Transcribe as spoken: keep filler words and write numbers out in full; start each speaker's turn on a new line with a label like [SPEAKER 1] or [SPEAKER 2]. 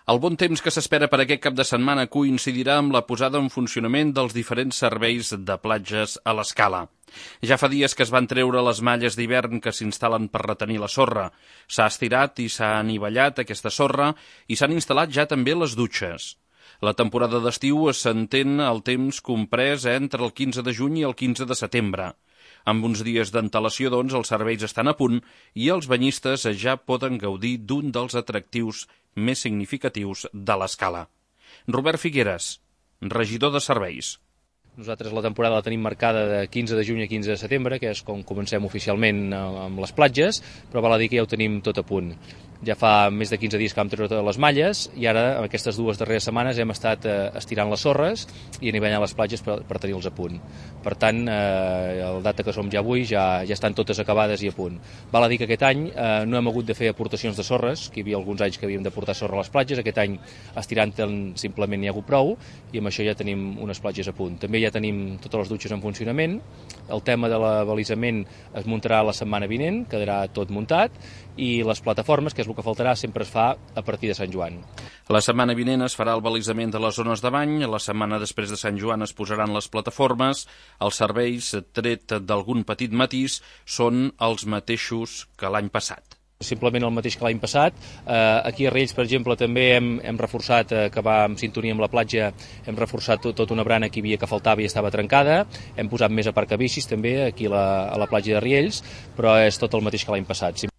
[SPEAKER 1] El bon temps que s'espera per aquest cap de setmana coincidirà amb la posada en funcionament dels diferents serveis de platges a l'Escala. Ja fa dies que es van treure les malles d'hivern que s'instal·len per retenir la sorra. S'ha estirat i s'ha anivellat aquesta sorra i s'han instal·lat ja també les dutxes. La temporada d'estiu s'entén el temps comprès entre el quinze de juny i el quinze de setembre. Amb uns dies d'antelació, doncs, els serveis estan a punt i els banyistes ja poden gaudir d'un dels atractius més significatius de l'Escala. Robert Figueres, regidor de serveis.
[SPEAKER 2] Nosaltres la temporada la tenim marcada de quinze de juny a quinze de setembre, que és com comencem oficialment amb les platges, però val a dir que ja ho tenim tot a punt. Ja fa més de quinze dies que vam treure totes les malles i ara, en aquestes dues darreres setmanes, hem estat eh, estirant les sorres i anivellant les platges per, per tenir-los a punt. Per tant, eh, el data que som ja avui ja, ja estan totes acabades i a punt. Val a dir que aquest any eh, no hem hagut de fer aportacions de sorres, que hi havia alguns anys que havíem de portar sorra a les platges, aquest any estirant-te'n simplement n'hi ha hagut prou i amb això ja tenim unes platges a punt. També ja tenim totes les dutxes en funcionament, el tema de l'abalisament es muntarà la setmana vinent, quedarà tot muntat, i les plataformes, que és el que faltarà, sempre es fa a partir de Sant Joan.
[SPEAKER 1] La setmana vinent es farà el balisament de les zones de bany, la setmana després de Sant Joan es posaran les plataformes, els serveis, tret d'algun petit matís, són els mateixos que l'any passat.
[SPEAKER 2] Simplement el mateix que l'any passat. Eh, aquí a Riells, per exemple, també hem, hem reforçat, eh, que va en sintonia amb la platja, hem reforçat tot, tot una brana que hi havia que faltava i estava trencada, hem posat més aparcabicis també aquí a la, a la platja de Riells, però és tot el mateix que l'any passat.